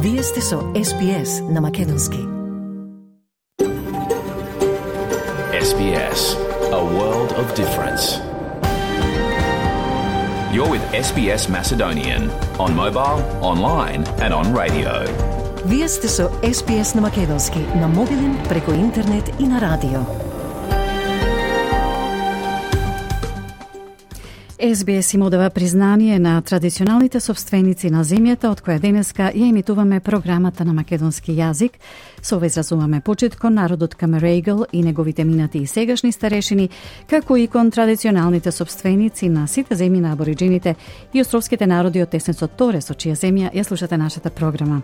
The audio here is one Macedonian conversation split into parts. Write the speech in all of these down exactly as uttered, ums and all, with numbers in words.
Вие сте со Ес Би Ес на Македонски. Ес Би Ес, a world of difference. You're with Ес Би Ес Macedonian on mobile, online and on radio. Вие сте со Ес Би Ес на Македонски на мобилен, преку интернет и на радио. Ес Би Ес им одава признание на традиционалните собственици на земјата, од која денеска ја емитуваме програмата на македонски јазик. Со ова изразуваме почит кон народот Камерегл и неговите минати и сегашни старешини, како и кон традиционалните собственици на сите земји на абориджините и островските народи од теснецот Торе, со чија земја ја слушате нашата програма.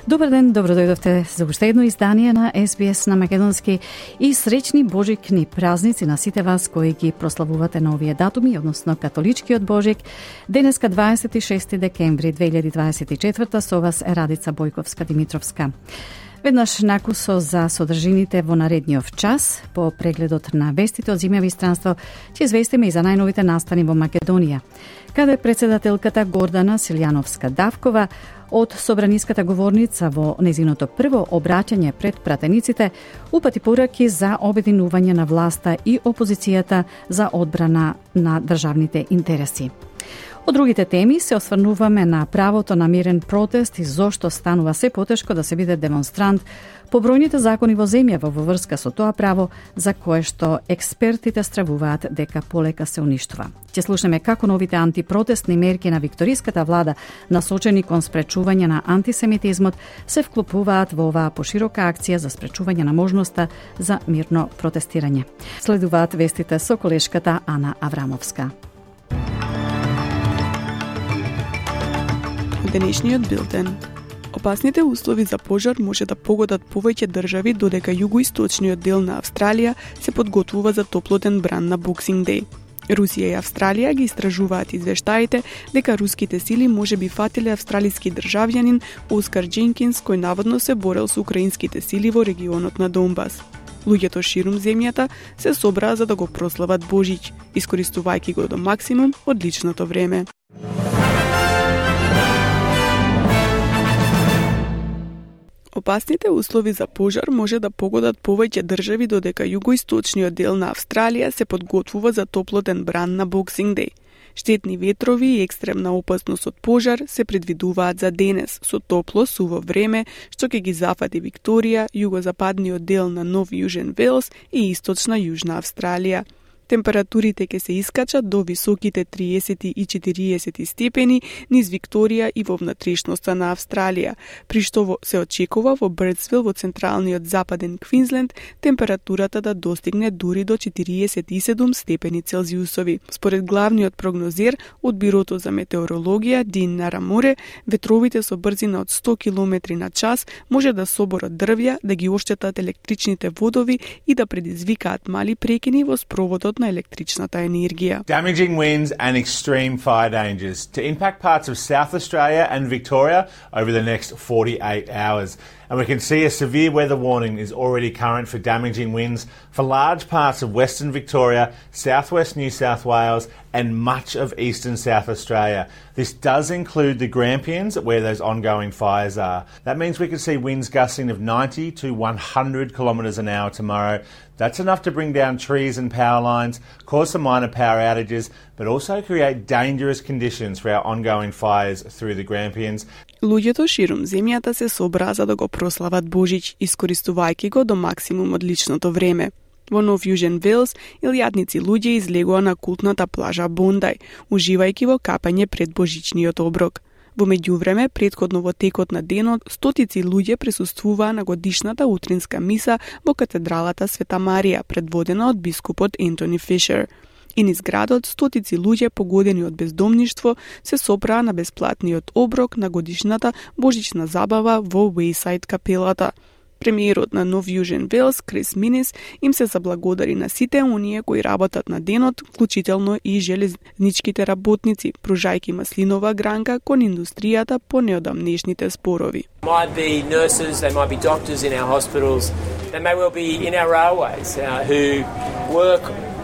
Добар ден, добро дојдовте за уште едно издание на Ес Би Ес на Македонски и среќни божикни празници на сите вас кои ги прославувате на овие датуми, односно католичкиот Божик. Денеска дваесет и шести декември две илјади дваесет и четврта со вас е Радица Бојковска-Димитровска. Веднаш накусо за содржините во наредниот час, по прегледот на вестите од земја и странство, ќе известиме и за најновите настани во Македонија, каде председателката Гордана Силјановска-Давкова од собраниската говорница во незиното прво обраќање пред пратениците упати пораки за обединување на власта и опозицијата за одбрана на државните интереси. Од другите теми се осврнуваме на правото на мирен протест и зошто станува се потешко да се биде демонстрант по бројните закони во земјава во врска со тоа право за кое што експертите стравуваат дека полека се уништува. Ќе слушнеме како новите антипротестни мерки на викториската влада насочени кон спречување на антисемитизмот се вклопуваат во оваа поширока акција за спречување на можноста за мирно протестирање. Следуваат вестите со колешката Ана Аврамовска. Денешниот билтен. Опасните услови за пожар може да погодат повеќе држави, додека југоисточниот дел на Австралија се подготвува за топлотен бран на Боксинг Деј. Русија и Австралија ги истражуваат извештаите дека руските сили може би фатиле австралиски државјанин Оскар Дженкинс, кој наводно се борел со украинските сили во регионот на Донбас. Луѓето ширум земјата се собраа за да го прослават Божич, искористувајќи го до максимум одличното време. Опасните услови за пожар може да погодат повеќе држави, додека југоисточниот дел на Австралија се подготвува за топлотен бран на Боксинг Деј. Штетни ветрови и екстремна опасност од пожар се предвидуваат за денес, со топло, суво време, што ќе ги зафати Викторија, југозападниот дел на Нов Јужен Велс и источна Јужна Австралија. Температурите ќе се искачат до високите триесет и четириесет степени низ Викторија и во внатрешноста на Австралија, при што се очекува во Бирдсвил во централниот западен Квинсленд температурата да достигне дури до четириесет и седум степени Целзиусови. Според главниот прогнозер од Бирото за метеорологија Дин Нараморе, ветровите со брзина од сто километри на час може да соборат дрвја, да ги оштетат електричните водови и да предизвикаат мали прекини во спроводот на електричната енергија. Damaging winds and extreme fire dangers to impact parts of South Australia and Victoria over the next forty-eight hours. And we can see a severe weather warning is already current for damaging winds for large parts of Western Victoria, southwest New South Wales and much of eastern South Australia. This does include the Grampians, where those ongoing fires are. That means we could see winds gusting of ninety to one hundred kilometres an hour tomorrow. That's enough to bring down trees and power lines, cause some minor power outages, but also create dangerous conditions for our ongoing fires through the Grampians. Луѓето ширум земјата се собраа за да го прослават Божич, искористувајќи го до максимум одличното време. Во Нов Јужен Велс, илјадници луѓе излегоа на култната плажа Бондај, уживајќи во капање пред божичниот оброк. Во меѓувреме, претходно во текот на денот, стотици луѓе присуствуваа на годишната утринска миса во катедралата Света Марија, предводена од бискупот Ентони Фишер. И низ градот стотици луѓе погодени од бездомништво се собраа на бесплатниот оброк на годишната божична забава во Уејсайд капелата. Премиерот на Нов Јужен Велс, Крис Минис, им се заблагодари на сите оние кои работат на денот, вклучително и железничките работници, пружајќи маслинова гранка кон индустријата по неодамнешните спорови. Might be nurses, they might be doctors in our hospitals, they may well be in our railways uh, who work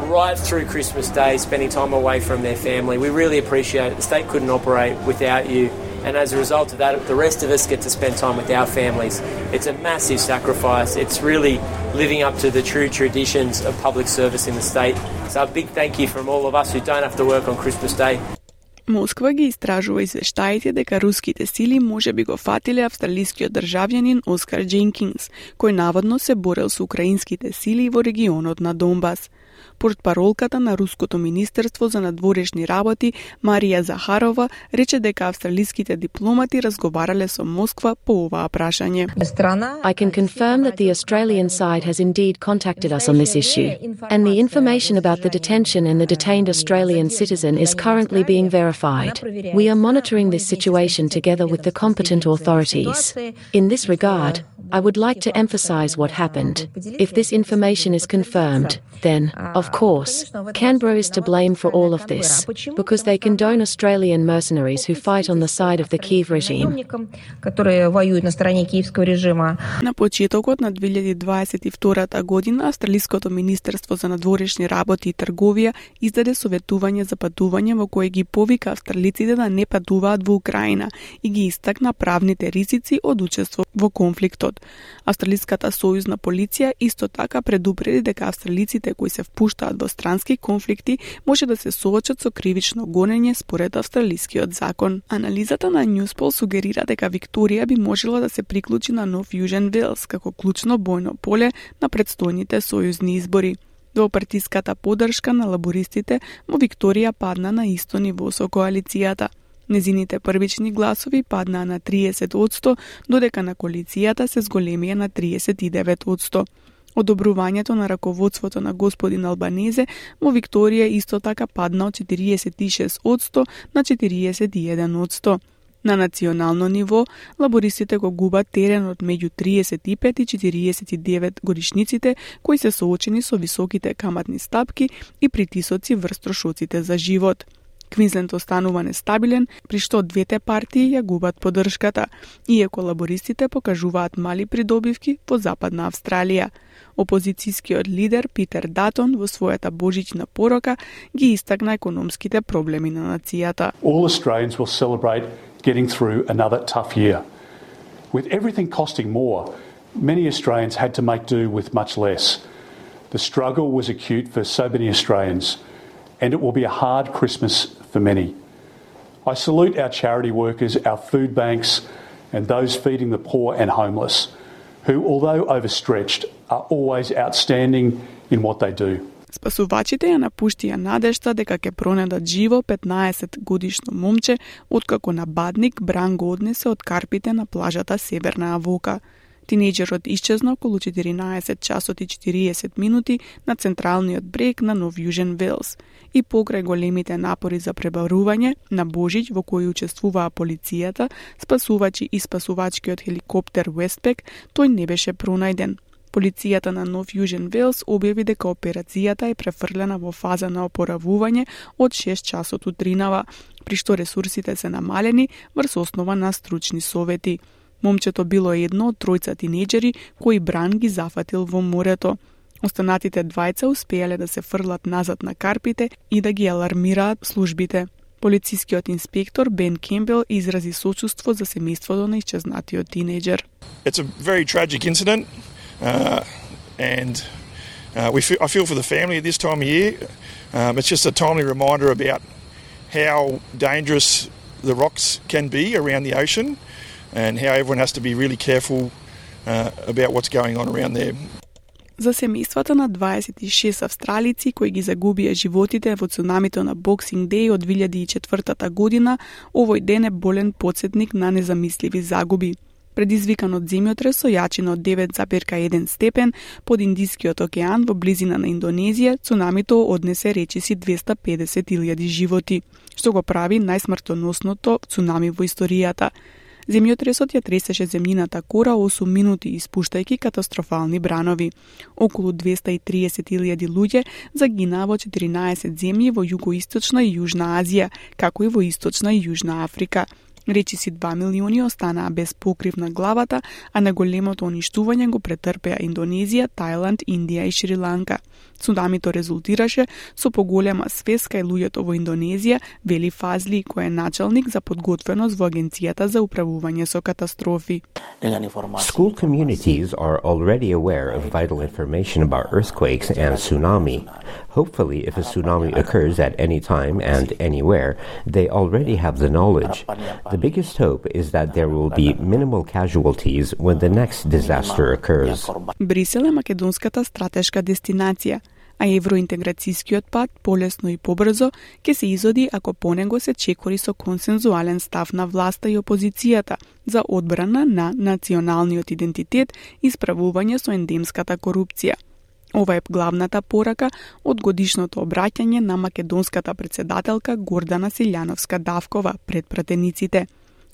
right through Christmas Day, spending time away from their family. We really appreciate it. The state couldn't operate without you. and as a result of that, the rest of us get to spend time with our families. It's a massive sacrifice. It's really living up to the true traditions of public service in the state. So a big thank you from all of us who don't have to work on Christmas Day. Москва ги истражува извештаите дека руските сили може би го фатиле австралискиот државјанин Оскар Дженкинс, кој наводно се борел со украинските сили во регионот на Донбас. Портпаролката на Руското министерство за надворешни работи Марија Захарова рече дека австралиските дипломати разговарале со Москва по оваа прашање. I can confirm that the Australian side has indeed contacted us on this issue, and the information about the detention and the detained Australian citizen is currently being verified. We are monitoring this situation together with the competent authorities. In this regard, I would like to emphasize what happened. If this information is confirmed, then, of course, Canberra is to blame for all of this, because they condone Australian mercenaries who fight on the side of the Kyiv regime. На почетокот на две илјади дваесет и втора година, Австралиското министерство за надворешни работи и трговија издаде советување за патување во кое ги повика австралиците да не патуваат во Украина и ги истакна правните ризици од учество во конфликтот. Австралиската сојузна полиција исто така предупреди дека австралиците кои се впуштаат во странски конфликти може да се соочат со кривично гонење според австралискиот закон. Анализата на Newspol сугерира дека Викторија би можела да се приклучи на нов Јужен Велс како клучно бојно поле на претстојните сојузни избори. Двопартиската поддршка на лабористите во Викторија падна на исто ниво со коалицијата. Незините првични гласови паднаа на триесет одсто, додека на коалицијата се зголемија на триесет и девет одсто. Одобрувањето на раководството на господин Албанезе во Викторија исто така падна од четириесет и шест одсто на четириесет и еден одсто. На национално ниво, лабористите го губат теренот меѓу триесет и пет и четириесет и девет годишниците кои се соочени со високите каматни стапки и притисоци врз трошоците за живот. Квинсленд останува нестабилен, при што двете партии ја губат поддршката, иако лабористите покажуваат мали придобивки во Западна Австралија. Опозицијскиот лидер Питер Датон во својата божична порока ги истакна економските проблеми на нацијата. All Australians will celebrate getting through another tough year. With everything costing more, many Australians had to make do with much less. The struggle was acute for so many Australians, and it will be a hard Christmas for many. I salute our charity workers, our food banks, and those feeding the poor and homeless, who, although overstretched, are always outstanding in what they do. Спасувачите ја напуштија надежта дека ќе пронедат живо петнаесет годишно момче, откако нападник Бран го однесе од карпите на плажата Северна Авока. Тинејџерот исчезна околу четиринаесет часот и четириесет минути на централниот брег на Нов Јужен Велс и покрај големите напори за пребарување на Божич во кои учествуваа полицијата, спасувачи и спасувачкиот хеликоптер Westpac, тој не беше пронајден. Полицијата на Нов Јужен Велс објави дека операцијата е префрлена во фаза на опоравување од шест часот утринава, при што ресурсите се намалени врз основа на стручни совети. Момчето било едно од тројца тинејџери кои Бран ги зафатил во морето. Останатите двајца успеале да се фрлат назад на карпите и да ги алармираат службите. Полицискиот инспектор Бен Кембел изрази сочувство за семејството на исчезнатиот тинејџер. It's a very tragic incident. Uh, and uh, we feel, I feel for the family at this time of year. Um, it's just a timely reminder about how dangerous the rocks can be around the ocean and how everyone has to be really careful uh, about what's going on around there. За семејствата на дваесет и шест австралици кои ги загубија животите во цунамито на Boxing Day од две илјади и четвртата година, овој ден е болен потсетник на незамисливи загуби. Предизвикан од земјотрес со јачина од девет зарез еден степен под Индискиот океан во близина на Индонезија, цунамито однесе речиси двесте и педесет илјади животи, што го прави најсмртоносното цунами во историјата. Земјотресот ја тресеше земјината кора осум минути, испуштајќи катастрофални бранови. Околу двесте и триесет илјади луѓе загинаа во четиринаесет земји во југоисточна и јужна Азија, како и во источна и јужна Африка. Речиси два милиони останаа без покрив на главата, а наголемото уништување го претрпеа Индонезија, Тајланд, Индија и Шри-Ланка. Цунамито резултираше со поголема свест кај луѓето во Индонезија, вели Фазли, кој е началник за подготвеност во Агенцијата за управување со катастрофи. School communities are already aware of vital information about earthquakes and tsunami. Hopefully, if a tsunami occurs at any time and anywhere, they already have the knowledge. The biggest hope is that there will be minimal casualties when the next disaster occurs. Брисел е македонската стратешка дестинација, а евроинтеграцијскиот пат полесно и побрзо ќе се изоди ако по него се чекори со консензуален став на власта и опозицијата за одбрана на националниот идентитет и справување со ендемската корупција. Ова е главната порака од годишното обраќање на македонската председателка Гордана Силјановска-Давкова пред пратениците.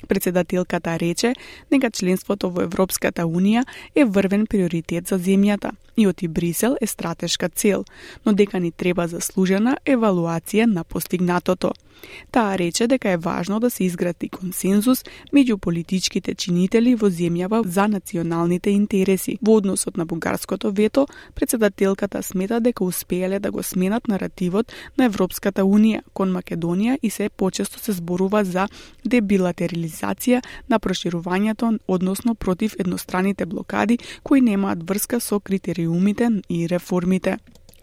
Председателката рече дека членството во Европската Унија е врвен приоритет за земјата и оти Брисел е стратешка цел, но дека ни треба заслужена евалуација на постигнатото. Таа рече дека е важно да се изгради консензус меѓу политичките чинители во земјава за националните интереси. Во односот на бугарското вето, председателката смета дека успеале да го сменат наративот на Европската Унија кон Македонија и се почесто се зборува за дебилатерализација на проширувањето, односно против едностраните блокади кои немаат врска со критериумите и реформите.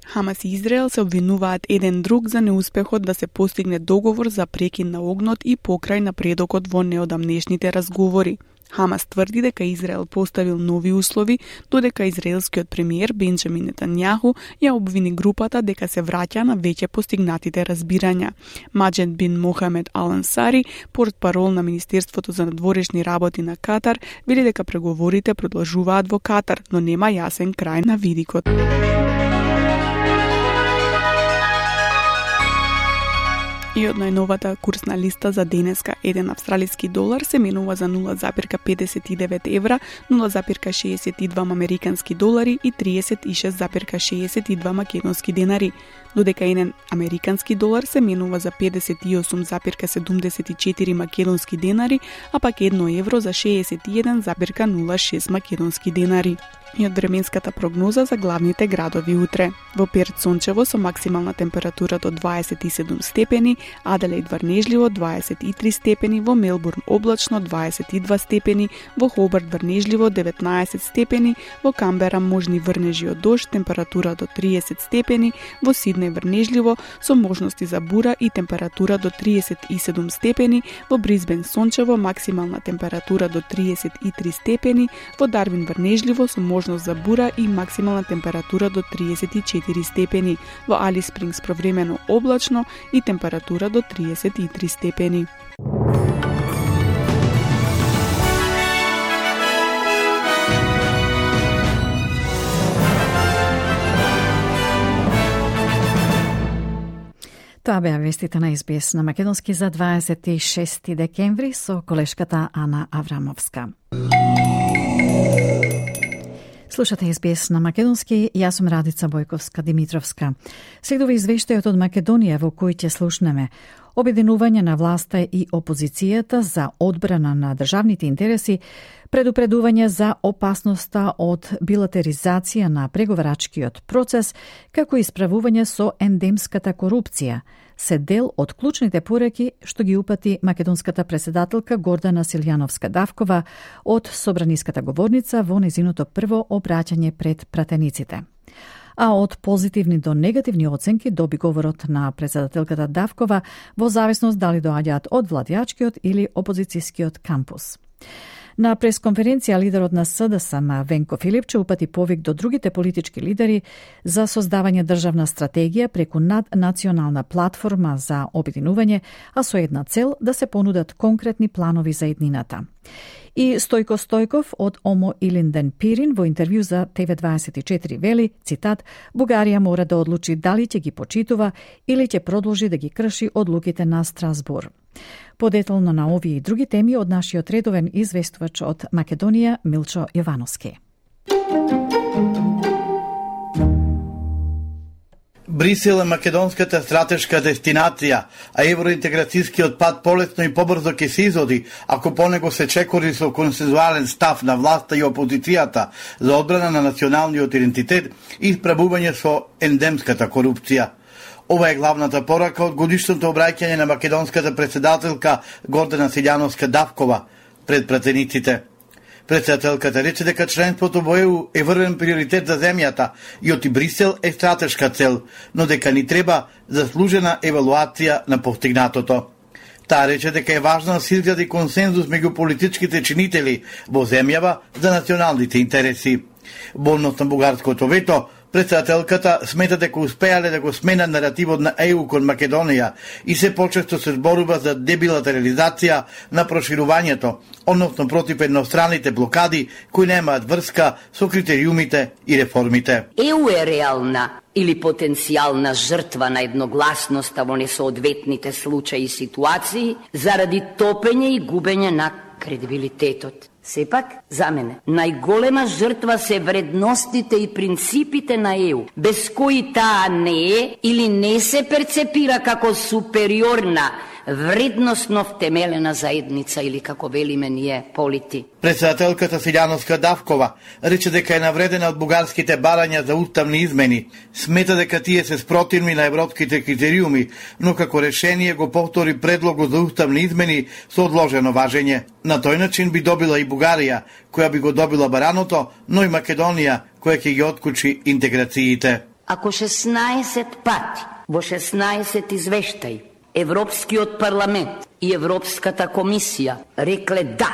Хамас и Израел се обвинуваат еден друг за неуспехот да се постигне договор за прекин на огнот и покрај напредокот во неодамнешните разговори. Хамас тврди дека Израел поставил нови услови, додека израелскиот премиер Бенџамин Нетањаху ја обвини групата дека се враќа на веќе постигнатите разбирања. Маџед бин Мохамед Ал-Ансари, портпарол на Министерството за надворешни работи на Катар, вели дека преговорите продолжуваат во Катар, но нема јасен крај на видикот. И од најновата курсна листа за денеска, еден австралиски долар се менува за нула запирка педесет и девет евра, нула запирка шеесет и два американски долари и триесет и шест запирка шеесет и два македонски денари, додека еден американски долар се менува за педесет и осум запирка седумдесет и четири македонски денари, а пак едно евро за шеесет и еден запирка нула шест македонски денари. И од временската прогноза за главните градови утре. Во Перт сончево со максимална температура до дваесет и седум степени, Аделаид врнежливо дваесет и три степени, во Мелбурн облачно дваесет и два степени, во Хобарт врнежливо деветнаесет степени, во Камбера можни врнежи од дожд, температура до триесет степени, во Сиднеј врнежливо со можности за бура и температура до триесет и седум степени, во Брисбен сончево максимална температура до триесет и три степени, во Дарвин врнежливо со можност за бура и максимална температура до триесет и четири степени, во Алис Спрингс провремено облачно и температура до триесет и три степени. Тоа беа вестите на Ес Би Ес на македонски за дваесет и шести декември со колешката Ана Аврамовска. Слушате Ес Би Ес на македонски, јас сум Радица Бојковска-Димитровска. Следува извештајот од Македонија во кој ќе слушнеме обединување на власта и опозицијата за одбрана на државните интереси, предупредување за опасноста од билатеризација на преговарачкиот процес, како и справување со ендемската корупција, се дел од клучните пораки што ги упати македонската председателка Гордана Силјановска-Давкова од собраниската говорница во незиното прво обраќање пред пратениците. А од позитивни до негативни оценки доби говорот на председателката Давкова во зависност дали доаѓаат од владеачкиот или опозицијскиот кампус. На пресконференција лидерот на С Д С М Венко Филипче упати повик до другите политички лидери за создавање државна стратегија преку наднационална платформа за обединување, а со една цел да се понудат конкретни планови за еднината. И Стојко Стојков од Омо Илинден Пирин во интервју за Т В дваесет и четири вели, цитат, Бугарија мора да одлучи дали ќе ги почитува или ќе продолжи да ги крши одлуките на Страсбур. Подетално на овие и други теми од нашиот редовен известувач од Македонија Милчо Јовановски. Брисел е македонската стратешка дестинација, а евроинтеграцијскиот пат полесно и побрзо ќе се изоди ако по него се чекори со консензуален став на власта и опозицијата за одбрана на националниот идентитет и исправување со ендемската корупција. Ова е главната порака од годишното обраќање на македонската председателка Гордана Силјановска-Давкова пред пратениците. Председателката рече дека членството во Е У е врвен приоритет за земјата и оти Брисел е стратешка цел, но дека ни треба заслужена евалуација на постигнатото. Таа рече дека е важно да се изгради консензус меѓу политичките чинители во земјава за националните интереси. Во однос на бугарското вето, председателката смета дека успеале да го смена наративот на Е У кон Македонија и се почесто се зборува за дебилатерализација на проширувањето, односно против едностраните блокади кои немаат врска со критериумите и реформите. Е У е реална или потенцијална жртва на едногласноста во несоодветните случаи и ситуации заради топење и губење на кредибилитетот. Сепак, за мене, најголема жртва се вредностите и принципите на Е У, без кои таа не е или не се перцепира како супериорна, вредносно втемелена заедница или како велиме ние полити. Председателката Силјановска-Давкова рече дека е навредена од бугарските барања за уставни измени. Смета дека тие се спротивни на европските критериуми, но како решение го повтори предлогот за уставни измени со одложено важење. На тој начин би добила и Бугарија, која би го добила бараното, но и Македонија, која ќе ги откучи интеграциите. Ако шеснаесет пати во шеснаесет извештаи Европскиот парламент и Европската комисија рекле да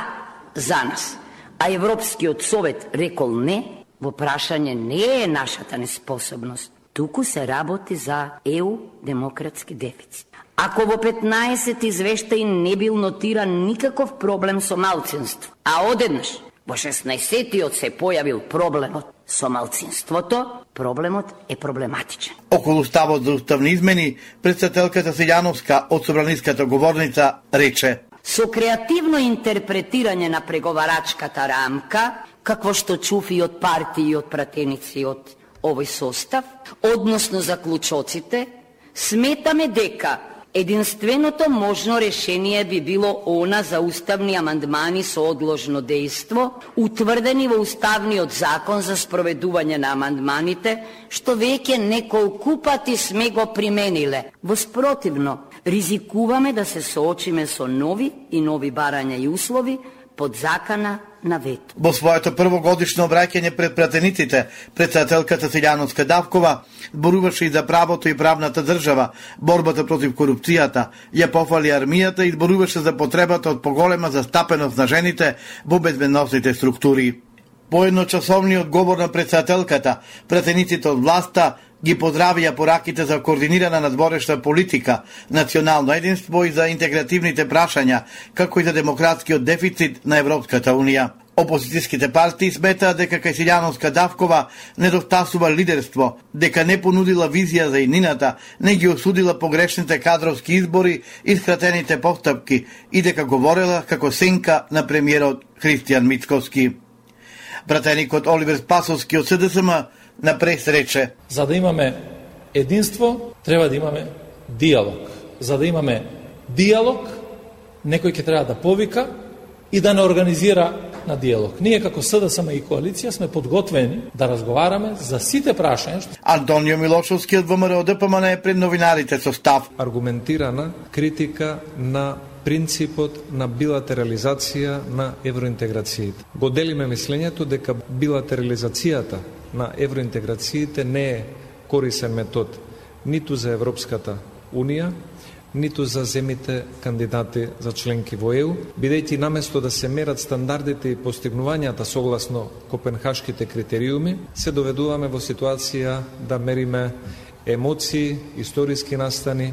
за нас, а Европскиот совет рекол не, во прашање не е нашата неспособност, туку се работи за Е У демократски дефицит. Ако во петнаесет извештаи не бил нотиран никаков проблем со малцинство, а одеднаш во шеснаесеттиот се појавил проблемот со малцинството, проблемот е проблематичен. Околу ставот за уставни измени, председателката Силјановска од собраниската говорница рече: Со креативно интерпретирање на преговарачката рамка, какво што чув и од партии и од пратеници од овој состав, односно заклучоците, сметаме дека единственото можно решение би било она за уставни амандмани со одложно дејство, утврдени во Уставниот закон за спроведување на амандманите, што веќе неколку пати сме го примениле. Воспротивно, ризикуваме да се соочиме со нови и нови барања и услови под закана на вето. Во своето првогодишно обраќање пред пратениците, председателката Силјановска-Давкова зборуваше и за правото и правната држава, борбата против корупцијата, ја пофали армијата и зборуваше за потребата од поголема застапеност на жените во безбедносните структури. По едночасовниот говор на председателката, пратениците од власта ги поздравија пораките за координирана надворешна политика, национално единство и за интегративните прашања, како и за демократскиот дефицит на Европската Унија. Опозицијските партии сметаат дека кај Силјановска-Давкова недостасува лидерство, дека не понудила визија за иднината, не ги осудила погрешните кадровски избори и скратените постапки и дека говорела како сенка на премиерот Христијан Мицкоски. Пратеникот Оливер Спасовски од С Д С М на прес рече: За да имаме единство, треба да имаме диалог. За да имаме диалог, некој ќе треба да повика и да не организира на диалог. Ние како С Д С М и коалиција сме подготвени да разговараме за сите прашања. Антонио Милошовски од В М Р О Д П М Н е пред новинарите со став. Аргументирана критика на принципот на билатерализација на евроинтеграциите. Го делиме мислењето дека билатерализацијата на евроинтеграциите не е корисен метод ниту за Европската Унија, ниту за земите кандидати за членки во Е У, бидејќи наместо да се мерат стандардите и постигнувањата согласно копенхашките критериуми, се доведуваме во ситуација да мериме емоции, историски настани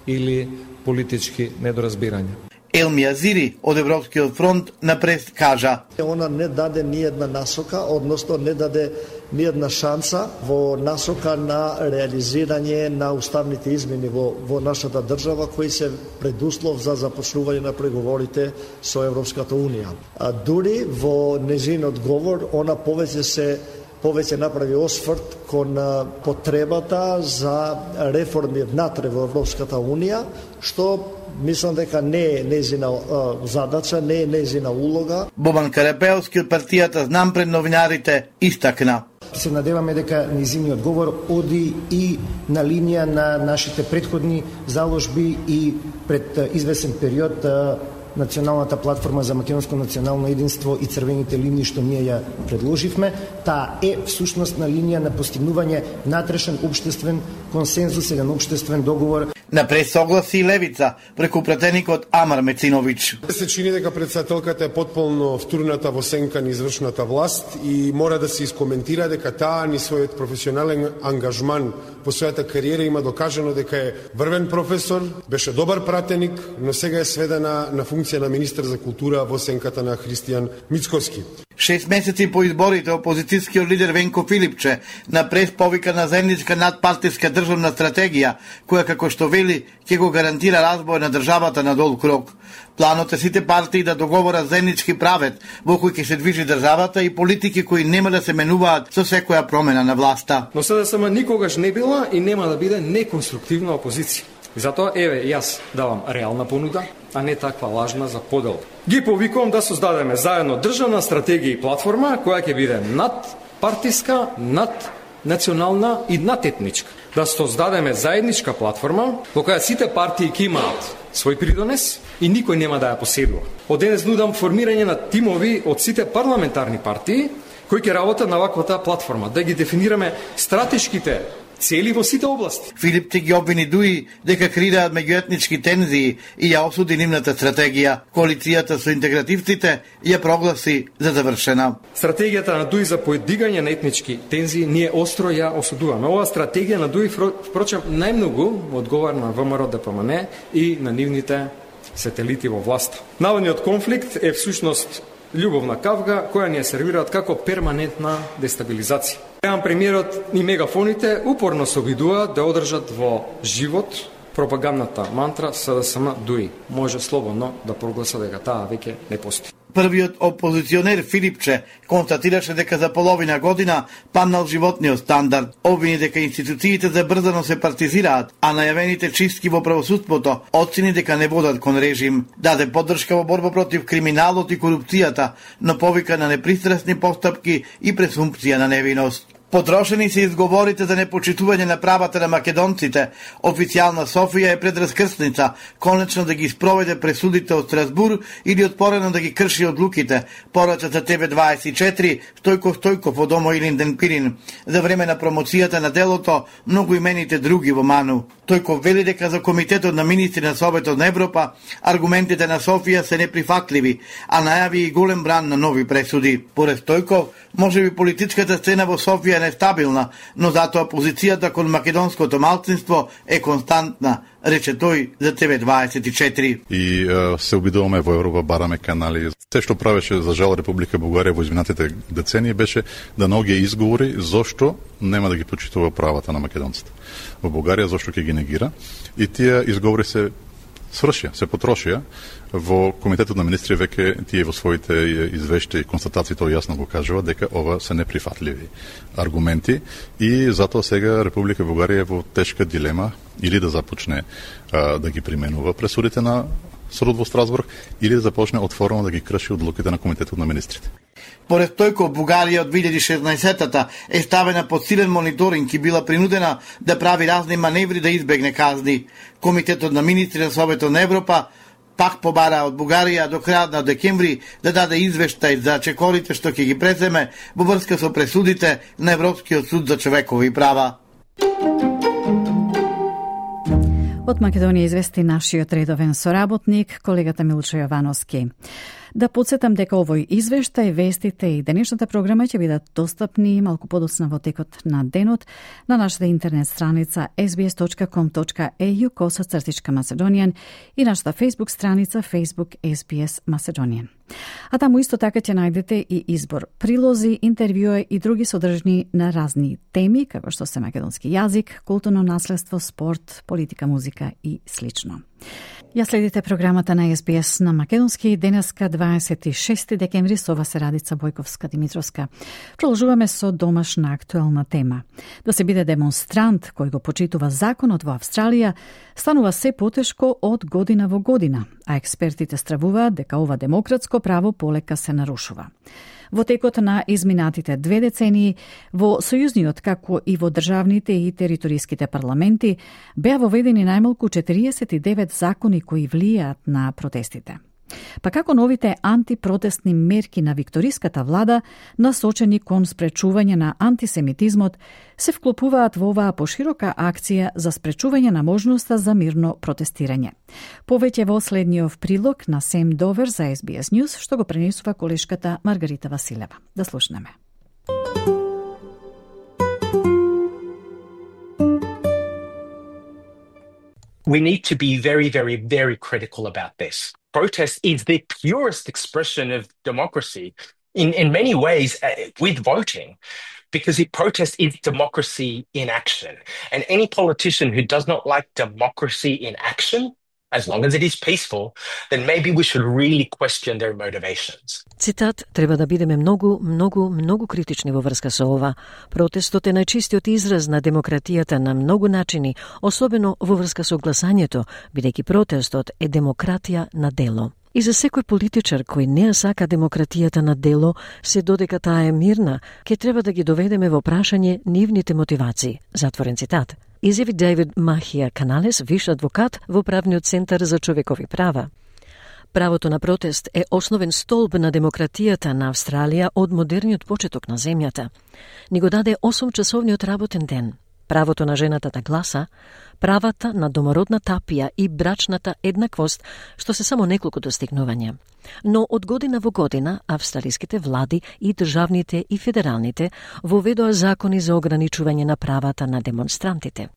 или политички недоразбирања. Елми Азири од Европскиот фронт на прес кажа: Она не даде ни една насока, односно не даде ни една шанса во насока на реализирање на уставните измени во, во нашата држава, кои се предуслов за започнување на преговорите со Европската Унија. А дури во незинот говор, она повеќе се повеќе направи осврт кон потребата за реформи внатре во Европската Унија, што мислам дека не е незина задача, не е незина улога. Бобан Карапелски од партијата Знам пред новинарите истакна. Се надеваме дека низиниот говор оди и на линија на нашите претходни заложби и пред извесен период Националната платформа за македонско национално единство и црвените линии што ние ја предложивме, таа е всушност на линија на постигнување натрешен општествен консензус, еден општествен договор. На пресогласи и левица преку пратеникот Амар Мецинович. Се чини дека претседателката е потполно втурната во сенка на извршната власт и мора да се искоментира дека таа ни својот професионален ангажман во својата кариера има докажано дека е врвен професор, беше добар пратеник, но сега е сведена на функција на министар за култура во сенката на Христијан Мицковски. Шест месеци по изборите, опозицијскиот лидер Венко Филипче на прес повика на заедничка надпартиска државна стратегија, која како што вели ќе го гарантира разбој на државата на дол крок. Планот е сите партии да договорат заеднички правец во кој ќе се движи државата и политики кои нема да се менуваат со секоја промена на власта. Но СДСМ никогаш не била и нема да биде неконструктивна опозиција. И затоа, еве, јас давам реална понуда, а не таква лажна за подел. Ги повикувам да создадеме заедно државна стратегија и платформа која ќе биде над партиска, над национална и надетничка. Да создадеме заедничка платформа во која сите партии ќе имаат свој придонес и никој нема да ја поседува. Од денес нудам формирање на тимови од сите парламентарни партии кои ќе работат на ваквата платформа, да ги дефинираме стратешките цели во сите области. Филип ги обвини Дуи дека креираат меѓуетнички тензии и ја осуди нивната стратегија. Коалицијата со интегративците ја прогласи за завршена. Стратегијата на Дуи за поедигање на етнички тензии ние остро ја осудуваме. Ова стратегија на Дуи впрочем најмногу одговара на ВМРО Д П М Н и на нивните сателити во власта. Наводниот конфликт е всушност љубовна кавга која ни ја сервираат како перманентна дестабилизација. Реан премиерот и мегафоните упорно се обидуваат да одржат во живот пропагандната мантра СДСМ Дуи. Може слободно да прогласа дека таа веќе не постои. Првиот опозиционер Филипче констатираше дека за половина година паднал животниот стандард. Обвини дека институциите забрзано се партизираат, а најавените чистки во правосудството оцени дека не водат кон режим. Даде поддршка во борба против криминалот и корупцијата, но повика на непристрасни постапки и презумпција на невиност. Потрошени се изговорите за непочитување на правата на македонците. Официјална Софија е пред раскрсница, конечно да ги спроведе пресудите од Страсбур или отпорено да ги крши одлуките. Порача за Т В дваесет и четири, Стојко Стојков од Омо Илинден Пирин. За време на промоцијата на делото, многу имените други во Ману. Тојков вели дека за Комитетот на министри на Советот на Европа аргументите на Софија се неприфатливи, а најави и голем бран на нови пресуди. Поред Стојков, може би политичката сцена во Софија е нестабилна, но затоа позицијата кон македонското малцинство е константна, рече тој за Т В дваесет и четири. И е, се обидуваме во Европа, бараме канали. Се што правеше за жал Република Бугарија во изминатите децении беше да наоѓа изговори зошто нема да ги почитува правата на македонците во Бугарија, зошто ќе ги негира. И тие изговори се свршија, се потрошија. Во Комитетот на министри веќе тие во своите извештаи и констатации тоа јасно го кажува дека ова се неприфатливи аргументи и затоа сега Република Бугарија е во тешка дилема или да започне а, да ги применува пресудите на судот во Страсбург или да започне отворено да ги крши одлуките на Комитетот на министрите. Поред Стојков, Бугарија од две илјади и шеснаесетта е ставена под силен мониторинг и била принудена да прави разни маневри да избегне казни. Комитетот на министри на Советот на Европа пак побара од Бугарија до крајот на декември да даде извештај за чекорите што ќе ги преземе во врска со пресудите на Европскиот суд за човекови права. Од Македонија извести нашиот редовен соработник, колегата Милчо Јовановски. Да подсетам дека овој извештај, вестите и денешната програма ќе бидат достапни малку подоцна во текот на денот на нашата интернет страница ес би ес точка ком точка е ю косацртичка Macedonian и нашата Facebook страница Facebook ес би ес Macedonian. А таму исто така ќе најдете и избор прилози, интервјуи и други содржни на разни теми, како што се македонски јазик, културно наследство, спорт, политика, музика и слично. Ја следите програмата на Ес Би Ес на македонски, денеска дваесет и шести декември, со вас е Радица Бојковска-Димитровска. Продолжуваме со домашна актуелна тема. Да се биде демонстрант кој го почитува законот во Австралија станува се потешко од година во година, а експертите стравуваат дека ова демократско право полека се нарушува. Во текот на изминатите две децении, во Сојузниот, како и во државните и териториските парламенти, беа воведени најмалку четириесет и девет закони кои влијаат на протестите. Па како новите антипротестни мерки на викториската влада, насочени кон спречување на антисемитизмот, се вклопуваат во оваа поширока акција за спречување на можноста за мирно протестирање. Повеќе во следниот прилог на Сем Довер за Ес Би Ес News, што го пренесува колешката Маргарита Василева. Да слушнеме. We need to be very, very, very critical about this. Protest is the purest expression of democracy in, in many ways uh, with voting, because it, protest is democracy in action. And any politician who does not like democracy in action, as long as it is peaceful, then maybe we should really question their motivations. Цитат: треба да бидеме многу, многу, многу критични во врска со ова. Протестот е најчистиот израз на демократијата на многу начини, особено во врска со гласањето, бидејќи протестот е демократија на дело. И за секој политичар кој не ја сака демократијата на дело, се додека таа е мирна, ќе треба да ги доведеме во прашање нивните мотивации. Затворен цитат. Изјави Дейвид Махија Каналес, виш адвокат во Правниот центар за човекови права. Правото на протест е основен столб на демократијата на Австралија од модерниот почеток на земјата. Ни го даде осумчасовниот работен ден, правото на жената да гласа, правата на домородна тапија и брачната еднаквост, што се само неколку достигнувања. Но од година во година австралиските влади и државните и федералните воведоа закони за ограничување на правата на демонстрантите.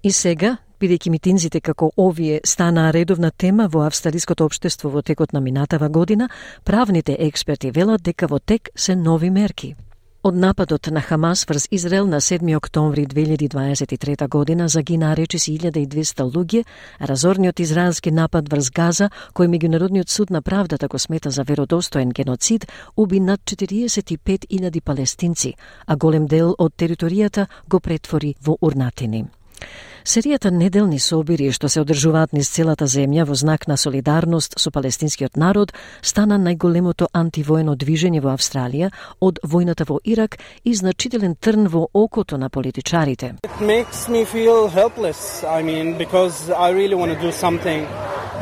И сега, бидејќи митинзите како овие станаа редовна тема во австралиското општество во текот на минатава година, правните експерти велат дека во тек се нови мерки. Од нападот на Хамас врз Израел на седми октомври две илјади дваесет и трета година загинаа речиси илјада и двесте луѓе, а разорниот израелски напад врз Газа, кој меѓународниот суд на правдата го смета за веродостоен геноцид, уби над четириесет и пет илјади палестинци, а голем дел од територијата го претвори во урнатини. Серијата неделни собири што се одржуваат низ целата земја во знак на солидарност со палестинскиот народ стана најголемото антивоено движење во Австралија од војната во Ирак и значителен трн во окото на политичарите. It makes me feel helpless. I mean, because I really want to do something,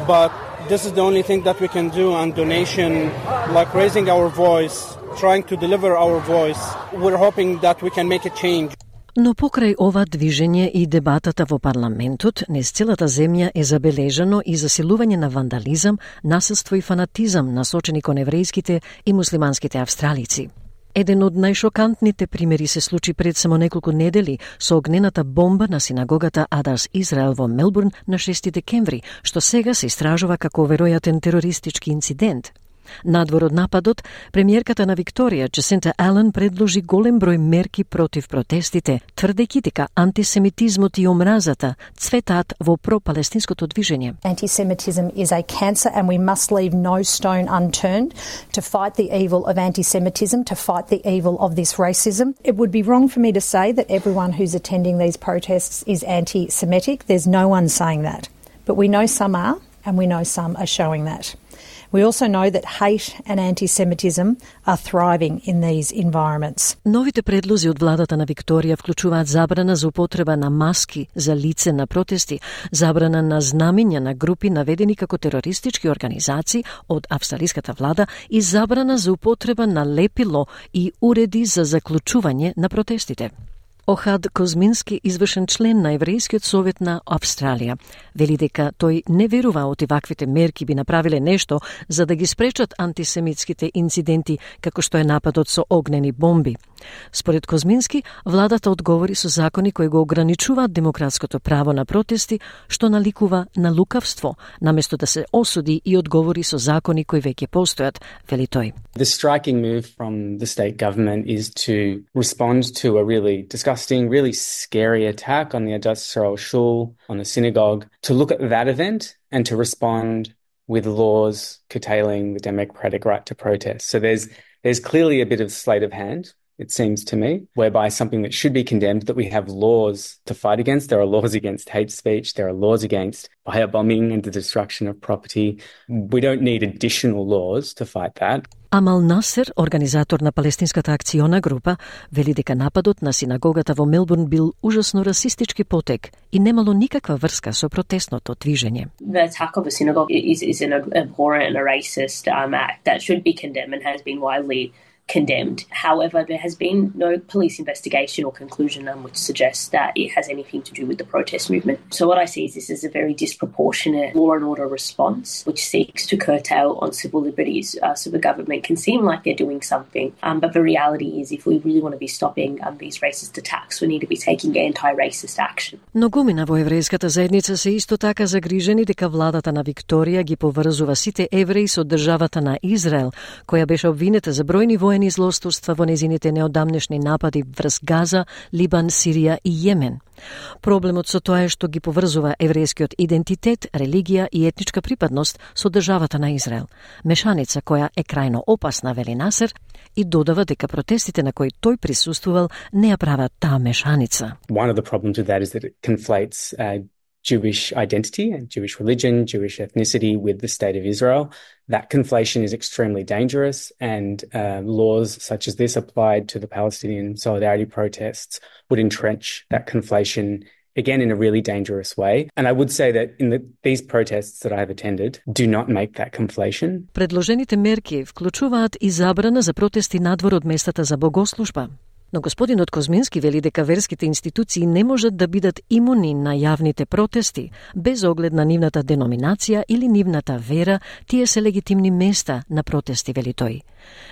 but this is the only thing that we can do, and donation, like raising our voice, trying to deliver our voice. We're hoping that we can make a change. Но покрај ова движење и дебатата во парламентот, низ целата земја е забележано и засилување на вандализам, насилство и фанатизам насочени кон еврејските и муслиманските австралици. Еден од најшокантните примери се случи пред само неколку недели со огнената бомба на синагогата Адарс Израел во Мелбурн на шести декември, што сега се истражува како веројатен терористички инцидент. Надвор од нападот, премиерката на Викторија, Джасинта Ален, предложи голем број мерки против протестите, тврдејќи дека антисемитизмот и омразата цветаат во пропалестинското движење. Anti-Semitism is a cancer and we must leave no stone unturned to fight the evil of anti-Semitism, to fight the evil of this racism. It would be wrong for me to say that everyone who's attending these protests is anti-Semitic. There's no one saying that. But we know some are, and we know some are showing that. We also know that hate and anti-Semitism are thriving in these environments. Новите предлози од владата на Викторија вклучуваат забрана за употреба на маски за лице на протести, забрана на знамиња на групи наведени како терористички организации од австралиската влада и забрана за употреба на лепило и уреди за заклучување на протестите. Охад Козмински, извршен член на Еврејскиот совет на Австралија, вели дека тој не верува оти ваквите мерки би направиле нешто за да ги спречат антисемитските инциденти како што е нападот со огнени бомби. Според Козмински, владата одговори со закони кои го ограничуваат демократското право на протести, што наликува на лукавство, наместо да се осуди и одговори со закони кои веќе постојат, вели тој. The striking move from the state government is to respond to a really disgusting, really scary attack on the Adass Yisrael Shul, on a synagogue, to look at that event and to respond with laws curtailing the democratic right to protest. So there's there's clearly a bit of sleight of hand, it seems to me, whereby something that should be condemned, that we have laws to fight against. There are laws against hate speech. There are laws against firebombing and the destruction of property. We don't need additional laws to fight that. Амал Насер, организатор на палестинската акциона група, вели дека нападот на синагогата во Мелбурн бил ужасно расистички потек и немало никаква врска со протестното движење. The attack of a synagogue is, is an abhorrent and a racist um, act that should be condemned and has been widely condemned. However, there has been no police investigation or conclusion um, which suggests that it has anything to do with the protest movement. So what I see is this is a very disproportionate law and order response which seeks to curtail on civil liberties. Uh, so the government can seem like they're doing something, um, but the reality is if we really want to be stopping um, these racist attacks, we need to be taking anti-racist action. Многумина во еврејската заедница се исто така загрижени дека владата на Викторија ги поврзува сите евреи со државата на Израел, која беше обвинета за бројни воени злосторства во незините неодамнешни напади врз Газа, Либан, Сирија и Јемен. Проблемот со тоа е што ги поврзува еврејскиот идентитет, религија и етничка припадност со државата на Израел. Мешаница која е крајно опасна, вели Насер, и додава дека протестите на кои тој присуствувал не ја прават таа мешаница. One of the problems with that is that it conflates uh, Jewish identity and Jewish religion, Jewish ethnicity with the state of Israel. That conflation is extremely dangerous, and uh, laws such as this applied to the Palestinian solidarity protests would entrench that conflation again in a really dangerous way. And I would say that in the, these protests that I have attended do not make that conflation. Предложените мерки вклучуваат и забрана за протести надвор од местата за богослужба. Но господинот Козмински вели дека верските институции не можат да бидат имуни на јавните протести, без оглед на нивната деноминација или нивната вера, тие се легитимни места на протести, вели тој.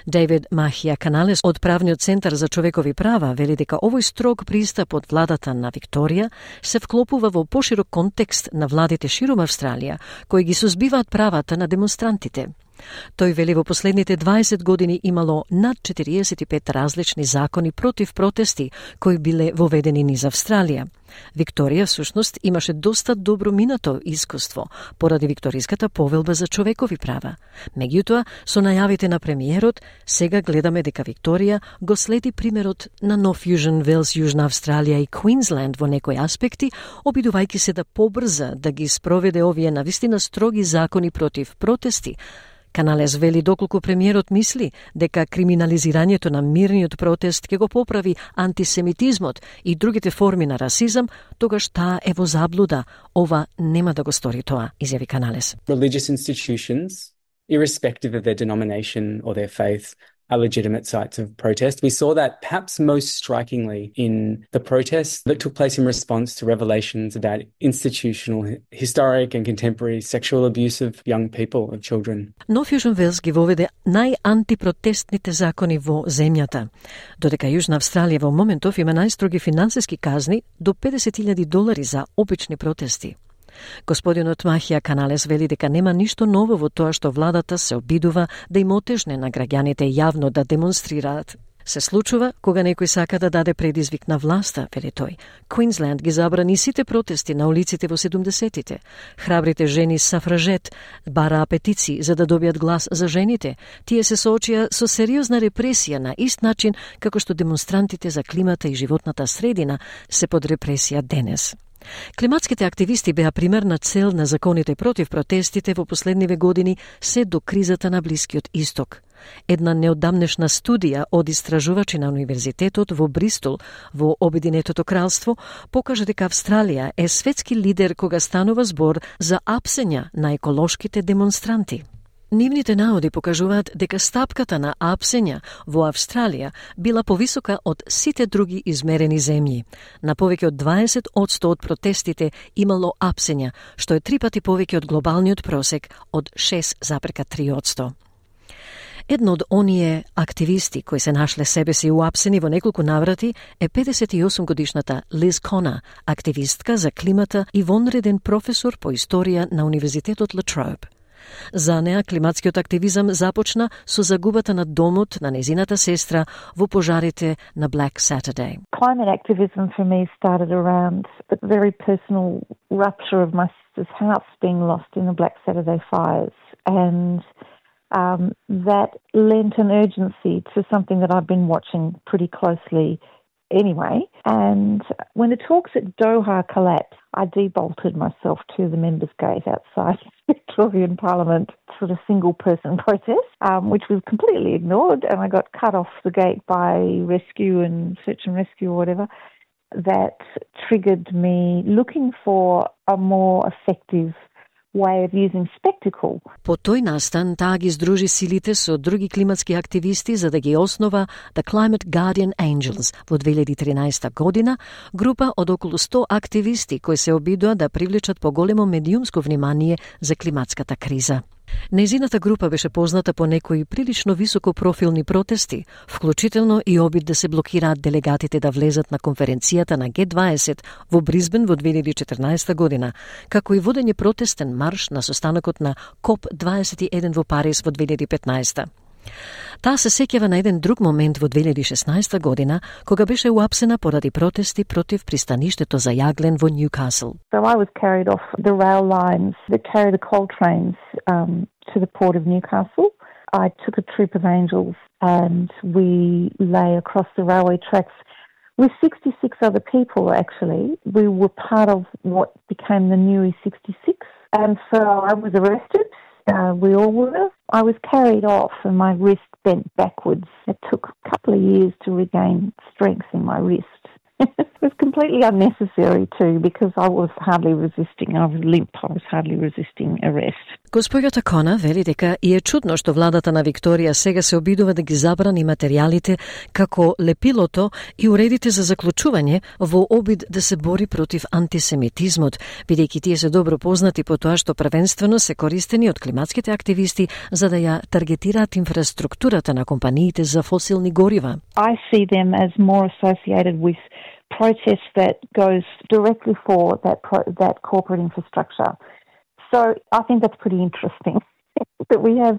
Дейвид Махија Каналес од Правниот центар за човекови права вели дека овој строг пристап од владата на Викторија се вклопува во поширок контекст на владите широм Австралија, кои ги сузбиваат правата на демонстрантите. Тој вели во последните дваесет години имало над четириесет и пет различни закони против протести кои биле воведени низ Австралија. Викторија всушност имаше доста добро минато искуство поради Викториската повелба за човекови права. Меѓутоа, со најавите на премиерот, сега гледаме дека Викторија го следи примерот на Нов Јужен Велс, Јужна Австралија и Квинсленд во некои аспекти, обидувајќи се да побрза да ги спроведе овие навистина строги закони против протести. Каналес вели доколку премиерот мисли дека криминализирањето на мирниот протест ќе го поправи антисемитизмот и другите форми на расизам, тогаш таа е во заблуда. Ова нема да го стори тоа, изјави Каналес. Religious institutions, irrespective of their denomination or their faith, are legitimate sites of protest. We saw that perhaps most strikingly in the protests that took place in response to revelations about institutional, historic and contemporary sexual abuse of young people, of children. Нов Јужен Велс ги воведе најантипротестните закони во земјата, додека Јужна Австралија во моментов има најстроги финансиски казни до педесет илјади долари за обични протести. Господинот Махија Каналес вели дека нема ништо ново во тоа што владата се обидува да им отежне на граѓаните јавно да демонстрираат. Се случува кога некој сака да даде предизвик на власта, вели тој. Квинсленд ги забрани сите протести на улиците во седумдесетите. Храбрите жени сафражет бараа петиции за да добијат глас за жените. Тие се соочија со сериозна репресија на ист начин како што демонстрантите за климата и животната средина се под репресија денес. Климатските активисти беа примерна цел на законите против протестите во последниве години се до кризата на Блискиот Исток. Една неодамнешна студија од истражувачи на Универзитетот во Бристол во Обединетото кралство покажа дека Австралија е светски лидер кога станува збор за апсења на еколошките демонстранти. Нивните наоди покажуваат дека стапката на апсења во Австралија била повисока од сите други измерени земји. На повеќе од дваесет одсто од протестите имало апсења, што е три пати повеќе од глобалниот просек од шест запирка три одсто. Едно од оние активисти кои се нашле себе си уапсени во неколку наврати е педесет и осум годишната Лиз Кона, активистка за климата и вонреден професор по историја на Универзитетот La Trobe. За неа климатскиот активизам започна со загубата на домот на незината сестра во пожарите на Black Saturday. Climate activism for me started around the very personal rupture of my sister's house being lost in the Black Saturday fires, and um, that lent an urgency to something that I've been watching pretty closely anyway. And when the talks at Doha collapsed, I debolted myself to the members' gate outside Victorian Parliament for a single-person protest, um, which was completely ignored, and I got cut off the gate by rescue and search and rescue or whatever. That triggered me looking for a more effective way of using spectacle. По тој настан, таа ги здружи силите со други климатски активисти за да ги основа The Climate Guardian Angels во две илјади и тринаесета година, група од околу сто активисти кои се обидоа да привлечат поголемо медиумско внимание за климатската криза. Незината група беше позната по некои прилично високопрофилни протести, вклучително и обид да се блокираат делегатите да влезат на конференцијата на Г дваесет во Бризбен во две илјади и четрнаесета година, како и водење протестен марш на состанокот на Коп дваесет и еден во Париз во две илјади и петнаесета. Таа се сеќава на еден друг момент во две илјади и шеснаесета година, кога беше уапсена поради протести против пристаништето за јаглен во Ньюкасл. So I was carried off the rail lines that carry the coal trains um, to the port of Newcastle. I took a troop of angels and we lay across the railway tracks with sixty-six other people, actually. We were part of what became the New E sixty-six. And so I was arrested. Uh, we all were. I was carried off and my wrist bent backwards. It took a couple of years to regain strength in my wrist. It was completely unnecessary too, because I was hardly resisting. I was limp. I was hardly resisting arrest. Госпоѓата Кона вели дека и е чудно што владата на Викторија сега се обидува да ги забрани материјалите како лепилото и уредите за заклучување во обид да се бори против антисемитизмот, бидејќи тие се добро познати по тоа што првенствено се користени од климатските активисти за да ја таргетираат инфраструктурата на компаниите за фосилни горива. I see them as more associated with protests that goes directly for that pro that corporate infrastructure. So I think that's pretty interesting that we have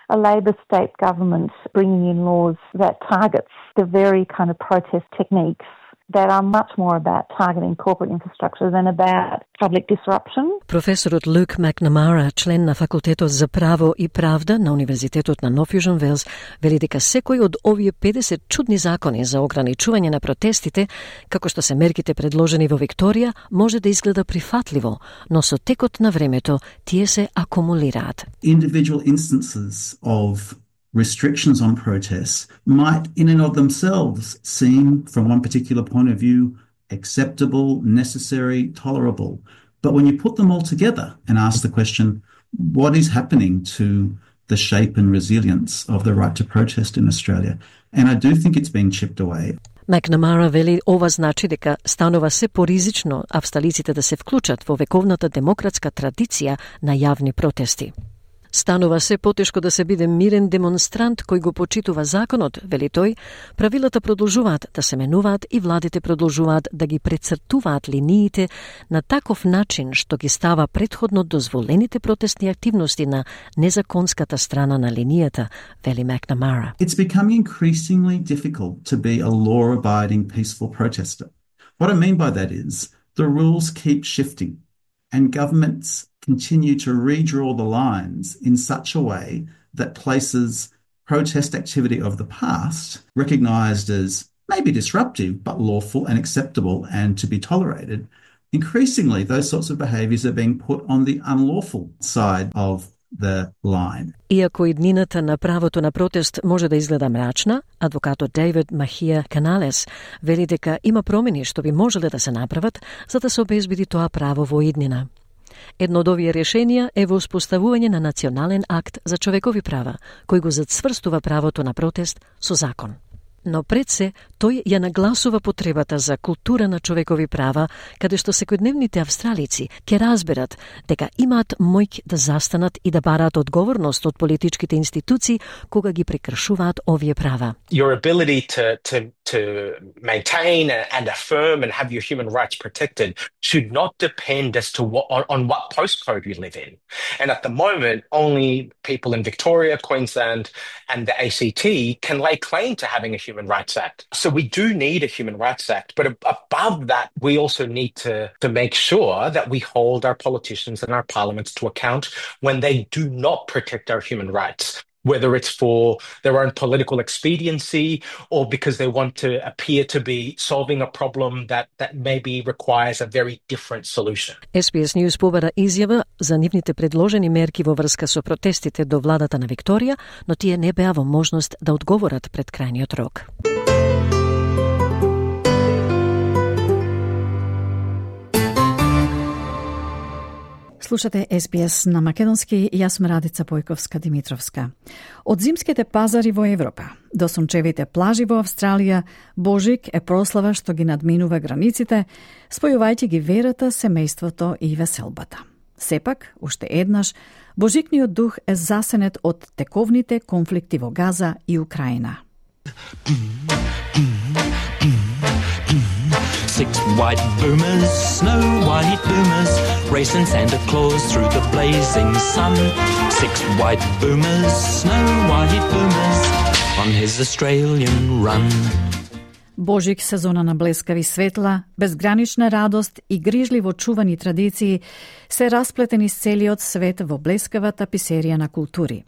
a Labor state government bringing in laws that targets the very kind of protest techniques that are much more about targeting corporate infrastructure than about public disruption. Професорот Люк Макнамара, член на факултетот за право и правда на Универзитетот на Нов Јужен Велс, вели дека секој од овие педесет чудни закони за ограничување на протестите, како што се мерките предложени во Викторија, може да изгледа прифатливо, но со текот на времето тие се акумулираат. Individual instances of restrictions on protests might in and of themselves seem, from one particular point of view, acceptable, necessary, tolerable. But when you put them all together and ask the question, what is happening to the shape and resilience of the right to protest in Australia? And I do think it's being chipped away. Макнамара вели ова значи дека станува се поризично австралиците да се вклучат во вековната демократска традиција на јавни протести. Станува се потешко да се биде мирен демонстрант кој го почитува законот, вели тој, правилата продолжуваат да се менуваат и владите продолжуваат да ги прецртуваат линиите на таков начин што ги става претходно дозволените протестни активности на незаконската страна на линијата, вели Макнамара. It's becoming increasingly difficult to be a law-abiding peaceful protester. What I mean by that is the rules keep shifting and governments continue to redraw the lines in such a way that places protest activity of the past, recognised as maybe disruptive but lawful and acceptable and to be tolerated, increasingly those sorts of behaviours are being put on the unlawful side of the line. Иако иднината на правото на протест може да изгледа мрачна, адвокатот Дейвид Махија Каналес вели дека има промени што би можеле да се направат за да се обезбеди тоа право во иднина. Едно од овие решенија е во успоставување на национален акт за човекови права, кој го зацврстува правото на протест со закон. Но пред се, тој ја нагласува потребата за култура на човекови права, каде што секојдневните австралици ќе разберат дека имаат моќ да застанат и да бараат одговорност од политичките институции кога ги прекршуваат овие права. Your ability to, to, to maintain and affirm and have your human rights protected should not depend as to what, on, on what postcode you live in. And at the moment, only people in Victoria, Queensland and the A C T can lay claim to having a human Human Rights Act. So we do need a Human Rights Act, but above that, we also need to, to make sure that we hold our politicians and our parliaments to account when they do not protect our human rights, whether it's for their own political expediency or because they want to appear to be solving a problem that, that maybe requires a very different solution. Ес Би Ес News побара изјава за нивните предложени мерки во врска со протестите до владата на Викторија, но тие не беа во можност да одговорат пред крајниот рок. Слушате Ес Би Ес на македонски, јас сум Радица Појковска-Димитровска. Од зимските пазари во Европа до сончевите плажи во Австралија, Божик е прослава што ги надминува границите, спојувајќи ги верата, семејството и веселбата. Сепак, уште еднаш, Божикниот дух е засенет од тековните конфликти во Газа и Украина. Six white boomers, snow white boomers, racing Santa Claus through the blazing sun. Six white boomers, snow white boomers, on his Australian run. Божик, сезона на блескави светла, безгранична радост и грижливо чувани традиции се расплетени с целиот свет во блескавата писерија на култури.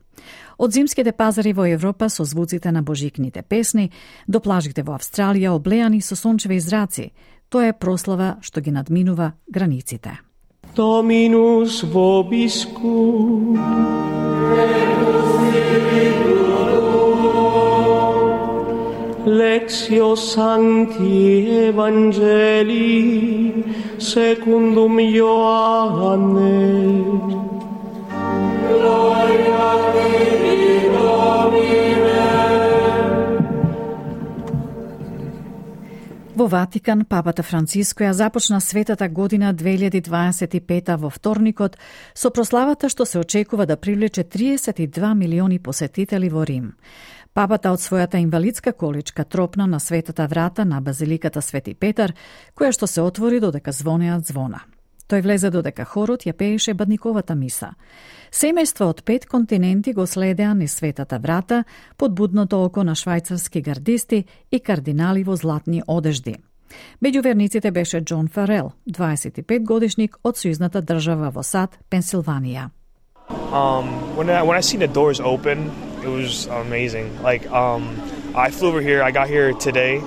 Од зимските пазари во Европа со звуците на божикните песни до плажите во Австралија облеани со сончеви зраци, тоа е прослава што ги надминува границите. Dominus vobiscum. Lectio Sancti Evangelii secundum Ioanne. Gloria Dei Domine. Во Ватикан, папата Франциско ја започна светата година две илјади дваесет и пета во вторникот со прославата што се очекува да привлече триесет и два милиони посетители во Рим. Папата од својата инвалидска количка тропна на светата врата на базиликата Свети Петар, која што се отвори додека звонеат звона. Тој влезе додека хорот ја пееше бадниковата миса. Семејства од пет континенти го следеа низ светата врата под будното око на швајцарски гардисти и кардинали во златни одежди. Меѓу верниците беше Џон Фарел, дваесет и пет годишник од сојузната држава во САД, Пенсилванија. Um, when I, when I seen the doors open, it was amazing. Like, um, I flew over here. I got here today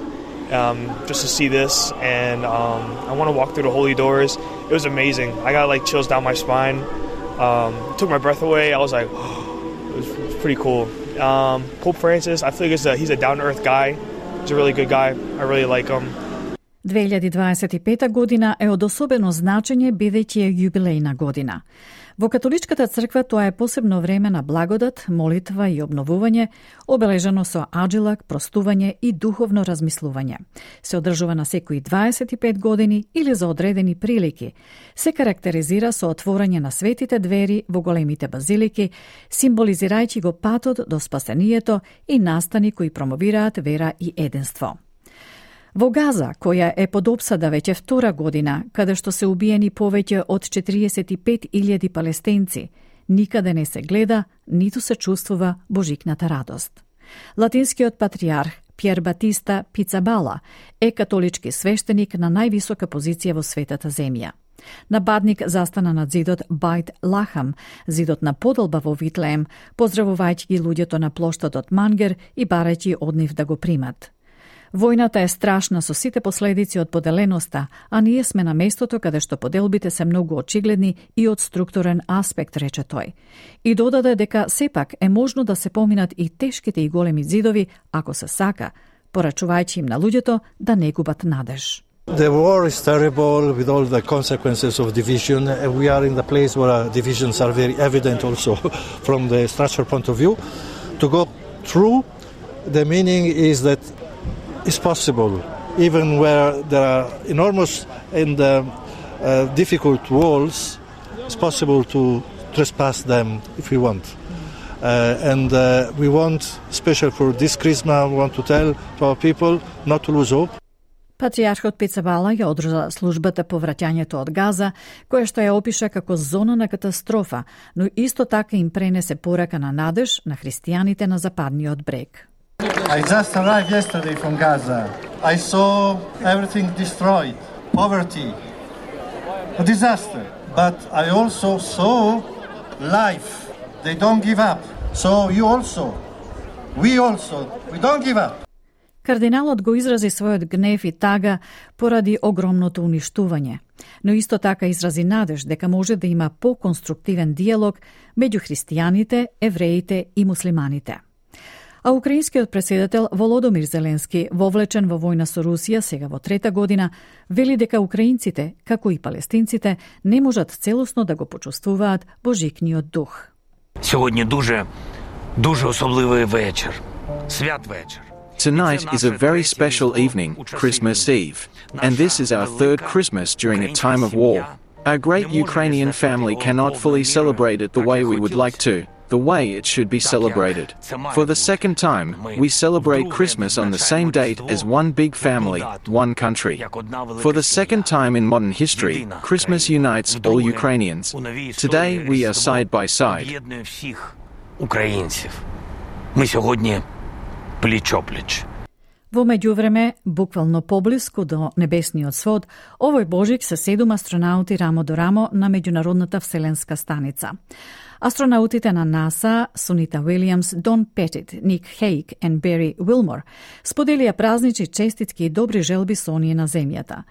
um, just to see this, and um, I want to walk through the holy doors. It was amazing. I got like chills down my spine. Um, took my breath away. I was like, oh, it, was, it was pretty cool. Um, Pope Francis, I feel like he's a, he's a down-to-earth guy. He's a really good guy. I really like him. две илјади дваесет и пета година е од особено значење бидејќи е јубилејна година. Во католичката црква тоа е посебно време на благодат, молитва и обновување, обележано со аджилак, простување и духовно размислување. Се одржува на секои дваесет и пет години или за одредени прилики. Се карактеризира со отворање на светите двери во големите базилики, символизирајќи го патот до спасението и настани кои промовираат вера и единство. Во Газа, која е под опсада веќе втора година, каде што се убиени повеќе од четириесет и пет илјади палестинци, никаде не се гледа, ниту се чувствува божикната радост. Латинскиот патриарх Пјер Батиста Пицабала е католички свештеник на највисока позиција во светата земја. Нападник застана над зидот Байт Лахам, зидот на подолба во Витлеем, поздравувајќи ги луѓето на плоштадот Мангер и барајќи од нив да го примат. Војната е страшна со сите последици од поделеноста, а ние сме на местото каде што поделбите се многу очигледни и од структурен аспект, рече тој. И додаде дека сепак е можно да се поминат и тешките и големи зидови, ако се сака, порачувајќи им на луѓето да не губат надеж. The war is terrible with all the consequences of division. We are in the place where divisions are very evident also from the structural point of view. To go through, the meaning is that it's possible, even where there are enormous and uh, uh, difficult walls, it's possible to trespass them if we want. Uh, and uh, we want, especially for this Christmas, we want to tell to our people not to lose hope. Патријархот Пицабала ја одржа службата по враќањето од Газа, која што ја опиша како зона на катастрофа, но исто така им пренесе порака на надеж на христијаните на западниот брег. I just arrived yesterday from Gaza. I saw everything destroyed, poverty, a disaster. But I also saw life. They don't give up. So you also, we also, we don't give up. Кардиналот го изрази својот гнев и тага поради огромното уништување, но исто така изрази надеж дека може да има по-конструктивен диалог меѓу христијаните, евреите и муслиманите. А украинскиот претседател Володомир Зеленски, вовлечен во војна со Русија сега во трета година, вели дека украинците, како и палестинците, не можат целосно да го почувствуваат божикниот дух. Сьогодні дуже, дуже особливий вечір. Свят вечір. Tonight is a very special evening, Christmas Eve, and this is our third Christmas during a time of war. Our great Ukrainian family cannot fully celebrate it the way we would like to, the way it should be celebrated. For the second time, we celebrate Christmas on the same date as one big family, one country. For the second time in modern history, Christmas unites all Ukrainians. Today we are side by side. Пліч-опліч. Во меѓувреме, буквално поблиску до небесниот свод, овој Божик се седум астронаути рамо до рамо на меѓународната вселенска станица. Астронаутите на НАСА, Сунита Уилијамс, Дон Петит, Ник Хейк и Бери Уилмор споделија празнични честитки и добри желби со оние на земјата.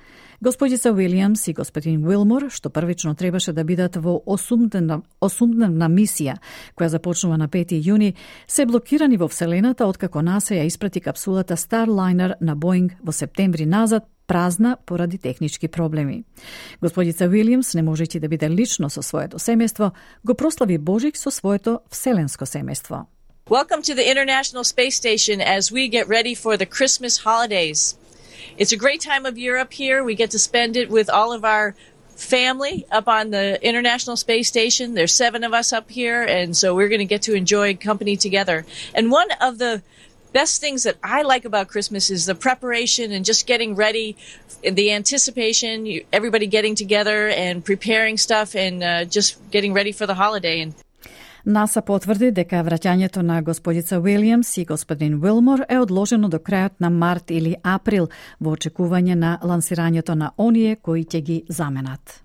Господица Уилијамс и господин Уилмор, што првично требаше да бидат во осумдневна, осумдневна мисија, која започнува на пети јуни, се блокирани во Вселената откако НАСА ја испрати капсулата Starliner на Боинг во септември назад, празна поради технички проблеми. Господица Уилијамс, не можејќи да биде лично со своето семејство, го прослави Божик со своето вселенско семејство. Welcome to the International Space Station as we get ready for the Christmas holidays. It's a great time of year up here. We get to spend it with all of our family up on the International Space Station. There's seven of us up here, and so we're going to get to enjoy company together. And one of the best things that I like about Christmas is the preparation and just getting ready, the anticipation, everybody getting together and preparing stuff and uh, just getting ready for the holiday. And НАСА потврди дека враќањето на господица Уилијамс и господин Уилмор е одложено до крајот на март или април во очекување на лансирањето на оние кои ќе ги заменат.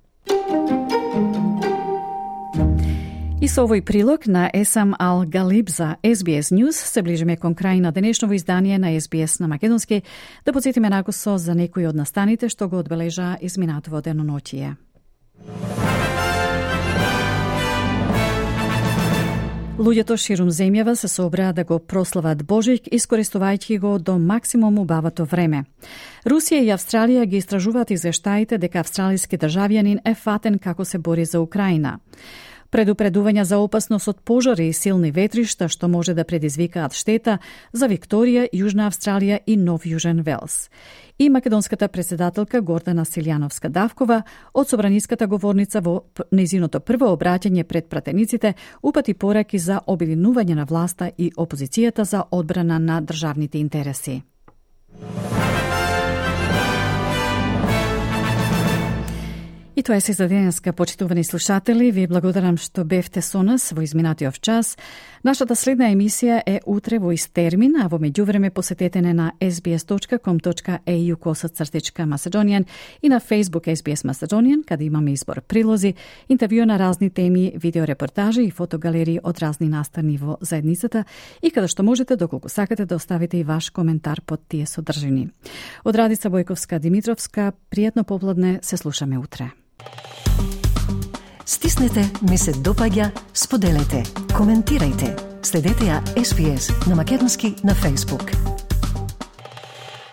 И со овој прилог на Есам Ал Галиб за Ес Би Ес News се ближиме кон крај на денешново издание на Ес Би Ес на македонски. Да подсетиме накусо за некои од настаните што го одбележа изминатово деноноќие. Луѓето ширум земјава се собраа да го прослават Божик, искористувајќи го до максимум убавото време. Русија и Австралија ги истражуваат извештаите дека австралиски државјанин е фатен како се бори за Украина. Предупредувања за опасност од пожари и силни ветришта што може да предизвикаат штета за Викторија, Јужна Австралија и Нов Јужен Велс. И македонската председателка Гордана Силјановска-Давкова од собраниската говорница во нејзиното прво обраќање пред пратениците упати пораки за обединување на власта и опозицијата за одбрана на државните интереси. И тоа е се за денеска, почитувани слушатели. Ви благодарам што бевте со нас во изминатиот час. Нашата следна емисија е утре во ист термин, а во меѓувреме посетете не на ес би ес точка ком точка е ю косацртичка Macedonian и на Facebook Ес Би Ес Macedonian, каде имаме избор прилози, интервју на разни теми, видеорепортажи и фотогалерии од разни настани во заедницата и каде што можете, доколку сакате, да оставите и ваш коментар под тие содржини. Од Радица Бојковска Димитровска, пријатно попладне, се слушаме утре. Стиснете, ми се допаѓа, споделете, коментирајте. Следете ја Ес Би Ес на македонски на Facebook.